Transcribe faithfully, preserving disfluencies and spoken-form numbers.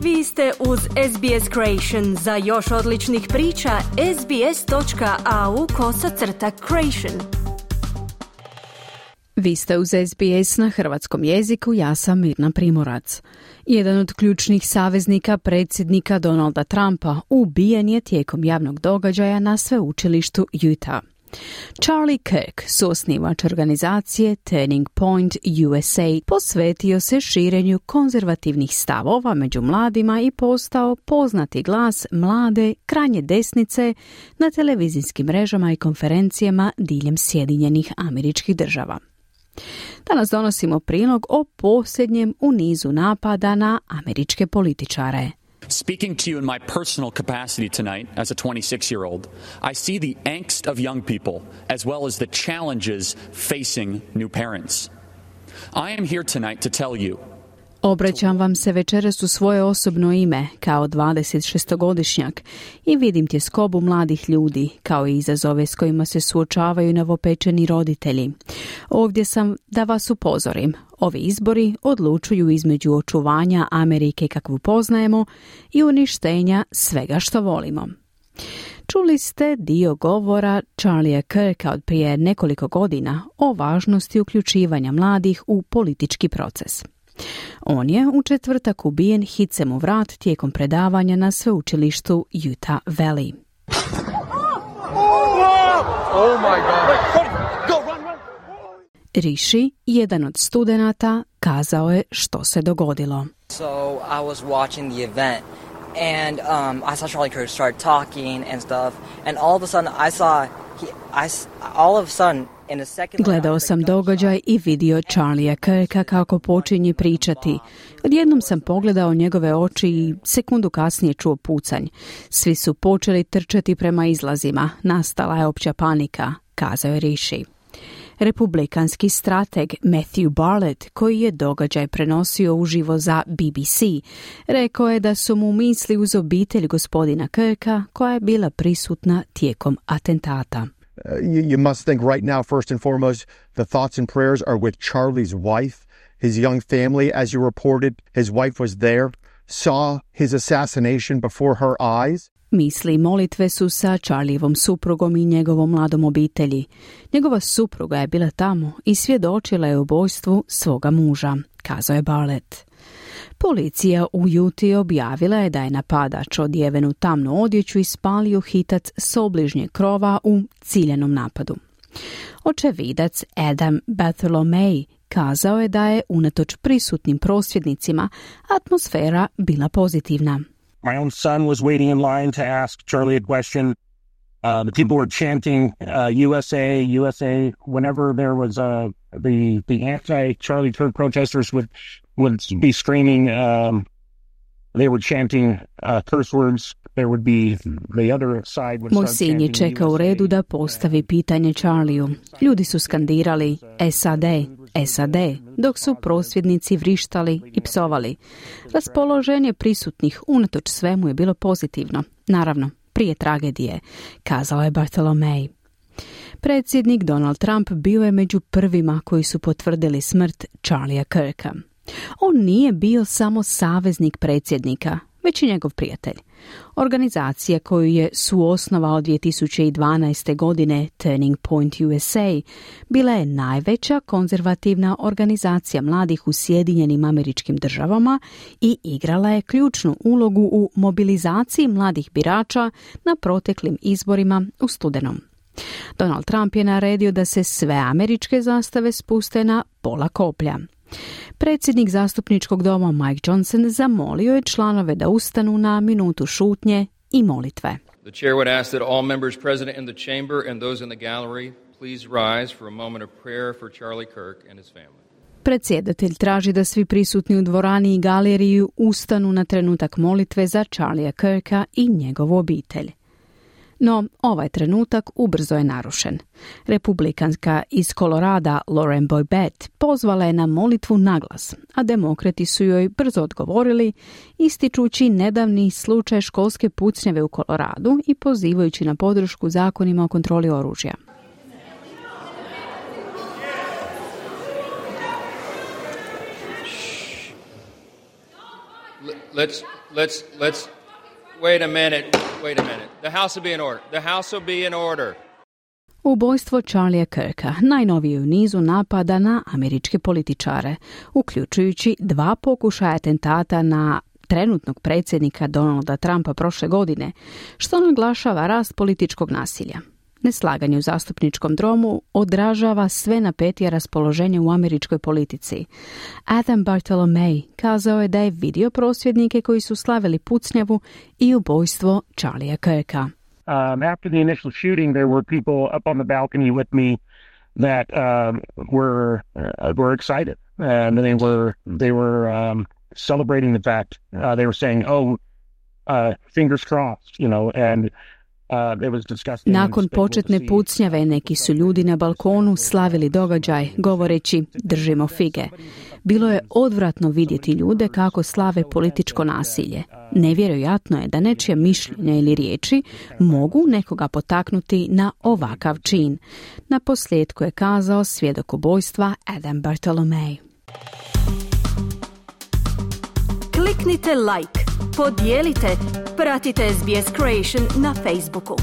Vi ste uz S B S Creation. Za još odličnih priča, sbs.au kosacrta creation. Vi ste uz S B S na hrvatskom jeziku, ja sam Mirna Primorac. Jedan od ključnih saveznika predsjednika Donalda Trumpa ubijen je tijekom javnog događaja na sveučilištu Utah. Charlie Kirk, suosnivač organizacije Turning Point U S A, posvetio se širenju konzervativnih stavova među mladima i postao poznati glas mlade, krajnje desnice na televizijskim mrežama i konferencijama diljem Sjedinjenih Američkih Država. Danas donosimo prilog o posljednjem u nizu napada na američke političare. Speaking to you in my personal capacity tonight as a twenty-six-year-old, I see the angst of young people as well as the challenges facing new parents. I am here tonight to tell you. Obraćam vam se večeras u svoje osobno ime kao dvadesetšestogodišnjak i vidim tjeskobu mladih ljudi kao i izazove s kojima se suočavaju novopečeni roditelji. Ovdje sam da vas upozorim. Ovi izbori odlučuju između očuvanja Amerike kakvu poznajemo i uništenja svega što volimo. Čuli ste dio govora Charliea Kirka od prije nekoliko godina o važnosti uključivanja mladih u politički proces. On je u četvrtak ubijen hicem u vrat tijekom predavanja na sveučilištu Utah Valley. Oh my God. Rishi, jedan od studenata, kazao je što se dogodilo. So I was watching the event and um, I saw Charlie Kirk start talking and stuff and all of a sudden I saw he, I, all of a sudden Gledao sam događaj i vidio Charliea Kirka kako počinje pričati. Odjednom sam pogledao njegove oči i sekundu kasnije čuo pucanj. Svi su počeli trčati prema izlazima. Nastala je opća panika, kazao je Rishi. Republikanski strateg Matthew Barlett, koji je događaj prenosio uživo za B B C, rekao je da su mu misli uz obitelj gospodina Kirka koja je bila prisutna tijekom atentata. Uh, you, you must think right now, first and foremost, the thoughts and prayers are with Charlie's wife, his young family. As you reported, his wife was there, saw his assassination before her eyes. Misli i molitve su sa Charlievom suprugom i njegovom mladom obitelji. Njegova supruga je bila tamo i svjedočila je ubojstvu svoga muža, kazao je Barlett. Policija u Utah objavila je da je napadač odjeven u tamnu odjeću ispalio hitac s obližnjeg krova u ciljanom napadu. Očevidac Adam Bartholomew kazao je da je unatoč prisutnim prosvjednicima atmosfera bila pozitivna. My own son was waiting in line to ask Charlie a question. Uh, the people were chanting uh, U S A, U S A. Whenever there was uh, the the anti-Charlie Kirk protesters would would be screaming. Um, they were chanting uh, curse words. There would be the other side would Moj start sin je čekao u redu da postavi pitanje Charlieu. Ljudi su skandirali S A D, S A D, dok su prosvjednici vrištali i psovali. Raspoloženje prisutnih unatoč svemu je bilo pozitivno. Naravno, prije tragedije, kazala je Bartholomew. Predsjednik Donald Trump bio je među prvima koji su potvrdili smrt Charliea Kirka. On nije bio samo saveznik predsjednika, već i njegov prijatelj. Organizacija koju je suosnovao dvije tisuće dvanaeste. godine Turning Point U S A bila je najveća konzervativna organizacija mladih u Sjedinjenim Američkim Državama i igrala je ključnu ulogu u mobilizaciji mladih birača na proteklim izborima u studenom. Donald Trump je naredio da se sve američke zastave spuste na pola koplja. Predsjednik zastupničkog doma Mike Johnson zamolio je članove da ustanu na minutu šutnje i molitve. The chair would ask that all members present in the chamber and those in the gallery please rise for a moment of prayer for Charlie Kirk and his family. Predsjedatelj traži da svi prisutni u dvorani i galeriji ustanu na trenutak molitve za Charliea Kirka i njegovu obitelj. No, ovaj trenutak ubrzo je narušen. Republikanska iz Kolorada Lauren Boebert pozvala je na molitvu naglas, a demokrati su joj brzo odgovorili, ističući nedavni slučaj školske pucnjave u Koloradu i pozivajući na podršku zakonima o kontroli oružja. let's let's let's wait a minute. Wait a minute. The House will be in order. The House will be in order. Ubojstvo Charlie'a Kirka najnovije u nizu napada na američke političare, uključujući dva pokušaja atentata na trenutnog predsjednika Donalda Trumpa prošle godine, što naglašava rast političkog nasilja. Neslaganje u zastupničkom domu odražava sve napetije raspoloženje u američkoj politici. Adam Bartolomei kazao je da je vidio prosvjednike koji su slavili pucnjavu i ubojstvo Charlie'a Kirka. Um, after the initial shooting, there were people up on the balcony with me that um, were uh, were excited, and they were they were um, celebrating the fact. Uh, they were saying, "Oh, uh, fingers crossed," you know, and. Nakon početne pucnjave neki su ljudi na balkonu slavili događaj, govoreći držimo fige. Bilo je odvratno vidjeti ljude kako slave političko nasilje. Nevjerojatno je da nečije mišljenja ili riječi mogu nekoga potaknuti na ovakav čin. Na posljedku je kazao svjedok ubojstva Adam Bartolomei. Kliknite like, podijelite, pratite S B S Creation na Facebooku.